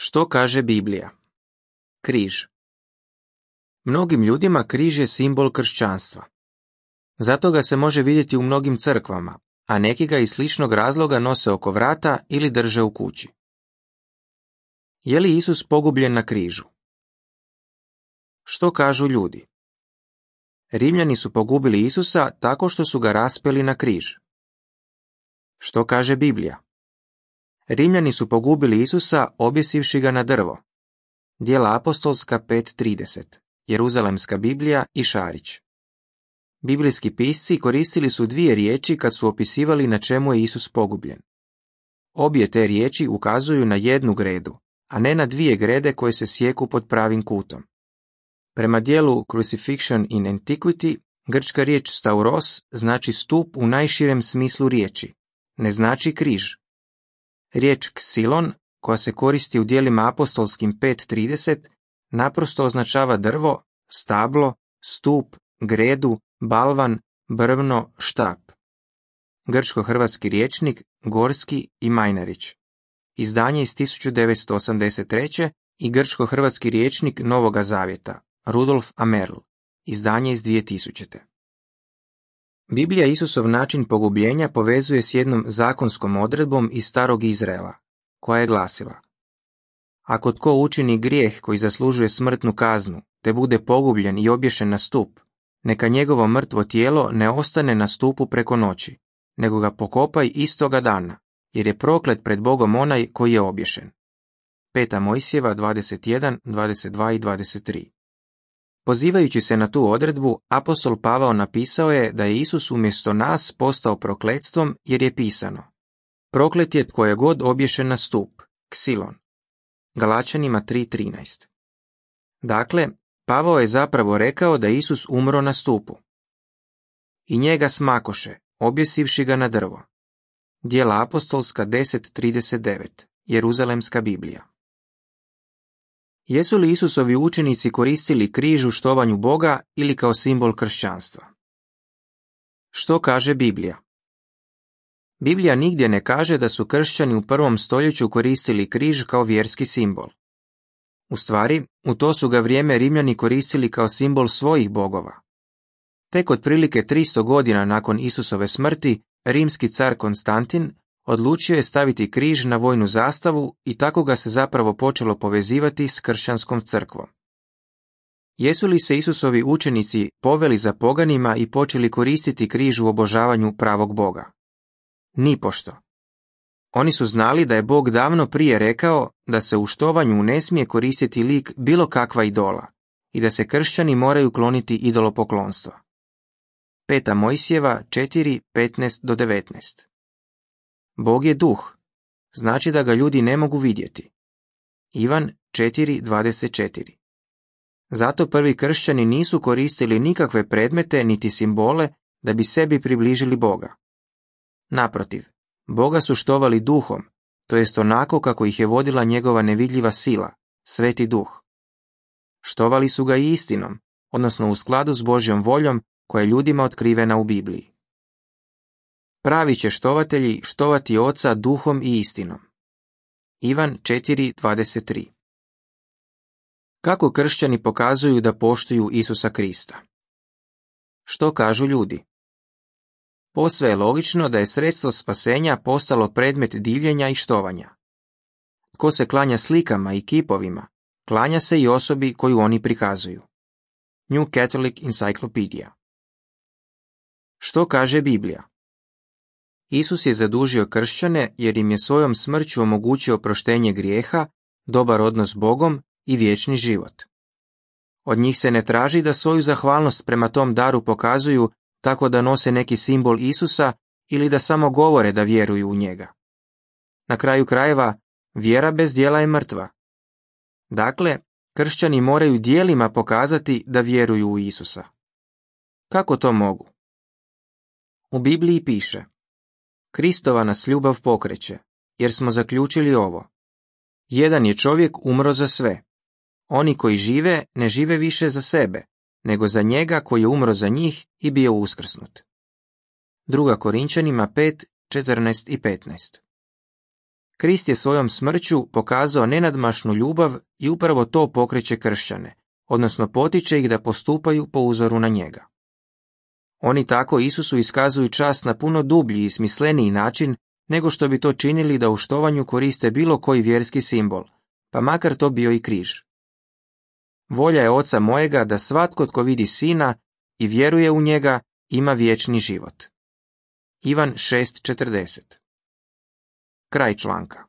Što kaže Biblija? Križ. Mnogim ljudima križ je simbol kršćanstva. Zato ga se može vidjeti u mnogim crkvama, a neki ga iz sličnog razloga nose oko vrata ili drže u kući. Je li Isus pogubljen na križu? Što kažu ljudi? Rimljani su pogubili Isusa tako što su ga raspeli na križ. Što kaže Biblija? Rimljani su pogubili Isusa objesivši ga na drvo. Djela apostolska 5:30, Jeruzalemska Biblija i Šarić. Biblijski pisci koristili su dvije riječi kad su opisivali na čemu je Isus pogubljen. Obje te riječi ukazuju na jednu gredu, a ne na dvije grede koje se sjeku pod pravim kutom. Prema dijelu Crucifixion in Antiquity, grčka riječ stauros znači stup u najširem smislu riječi, ne znači križ. Riječ ksilon, koja se koristi u djelima apostolskim 5:30, naprosto označava drvo, stablo, stup, gredu, balvan, brvno, štap. Grčko-hrvatski rječnik, Gorski i Majnarić. Izdanje iz 1983. i grčko-hrvatski rječnik Novoga Zavjeta, Rudolf Amerl. Izdanje iz 2000. Biblija Isusov način pogubljenja povezuje s jednom zakonskom odredbom iz starog Izraela, koja je glasila: ako tko učini grijeh koji zaslužuje smrtnu kaznu, te bude pogubljen i obješen na stup, neka njegovo mrtvo tijelo ne ostane na stupu preko noći, nego ga pokopaj istoga dana, jer je proklet pred Bogom onaj koji je obješen. 5. Mojsijeva 21, 22 i 23. Pozivajući se na tu odredbu, apostol Pavao napisao je da je Isus umjesto nas postao prokletstvom jer je pisano: proklet je tko je god obješen na stup, ksilon. Galačanima 3:13. Dakle, Pavao je zapravo rekao da Isus umro na stupu. I njega smakoše, objesivši ga na drvo. Djela apostolska 10:39, Jeruzalemska Biblija. Jesu li Isusovi učenici koristili križ u štovanju Boga ili kao simbol kršćanstva? Što kaže Biblija? Biblija nigdje ne kaže da su kršćani u 1. stoljeću koristili križ kao vjerski simbol. U stvari, u to su ga vrijeme Rimljani koristili kao simbol svojih bogova. Tek otprilike 300 godina nakon Isusove smrti, rimski car Konstantin odlučio je staviti križ na vojnu zastavu i tako ga se zapravo počelo povezivati s kršćanskom crkvom. Jesu li se Isusovi učenici poveli za poganima i počeli koristiti križ u obožavanju pravog Boga? Nipošto. Oni su znali da je Bog davno prije rekao da se u štovanju ne smije koristiti lik bilo kakva idola i da se kršćani moraju kloniti idolopoklonstva. 5. Mojsijeva 4:15-19. Bog je duh, znači da ga ljudi ne mogu vidjeti. Ivan 4:24. Zato prvi kršćani nisu koristili nikakve predmete niti simbole da bi sebi približili Boga. Naprotiv, Boga su štovali duhom, to jest onako kako ih je vodila njegova nevidljiva sila, Sveti Duh. Štovali su ga i istinom, odnosno u skladu s Božjom voljom koja je ljudima otkrivena u Bibliji. Pravi će štovatelji štovati Oca duhom i istinom. Ivan 4:23. Kako kršćani pokazuju da poštuju Isusa Krista? Što kažu ljudi? Posve je logično da je sredstvo spasenja postalo predmet divljenja i štovanja. Tko se klanja slikama i kipovima, klanja se i osobi koju oni prikazuju. New Catholic Encyclopedia. Što kaže Biblija? Isus je zadužio kršćane jer im je svojom smrću omogućio proštenje grijeha, dobar odnos s Bogom i vječni život. Od njih se ne traži da svoju zahvalnost prema tom daru pokazuju tako da nose neki simbol Isusa ili da samo govore da vjeruju u njega. Na kraju krajeva, vjera bez djela je mrtva. Dakle, kršćani moraju djelima pokazati da vjeruju u Isusa. Kako to mogu? U Bibliji piše: Kristova nas ljubav pokreće, jer smo zaključili ovo: jedan je čovjek umro za sve. Oni koji žive, ne žive više za sebe, nego za njega koji je umro za njih i bio uskrsnut. 2. Korinčanima 5:14 i 15. Krist je svojom smrću pokazao nenadmašnu ljubav i upravo to pokreće kršćane, odnosno potiče ih da postupaju po uzoru na njega. Oni tako Isusu iskazuju čast na puno dublji i smisleniji način nego što bi to činili da u štovanju koriste bilo koji vjerski simbol, pa makar to bio i križ. Volja je Oca mojega da svatko tko vidi Sina i vjeruje u njega ima vječni život. Ivan 6:40. Kraj članka.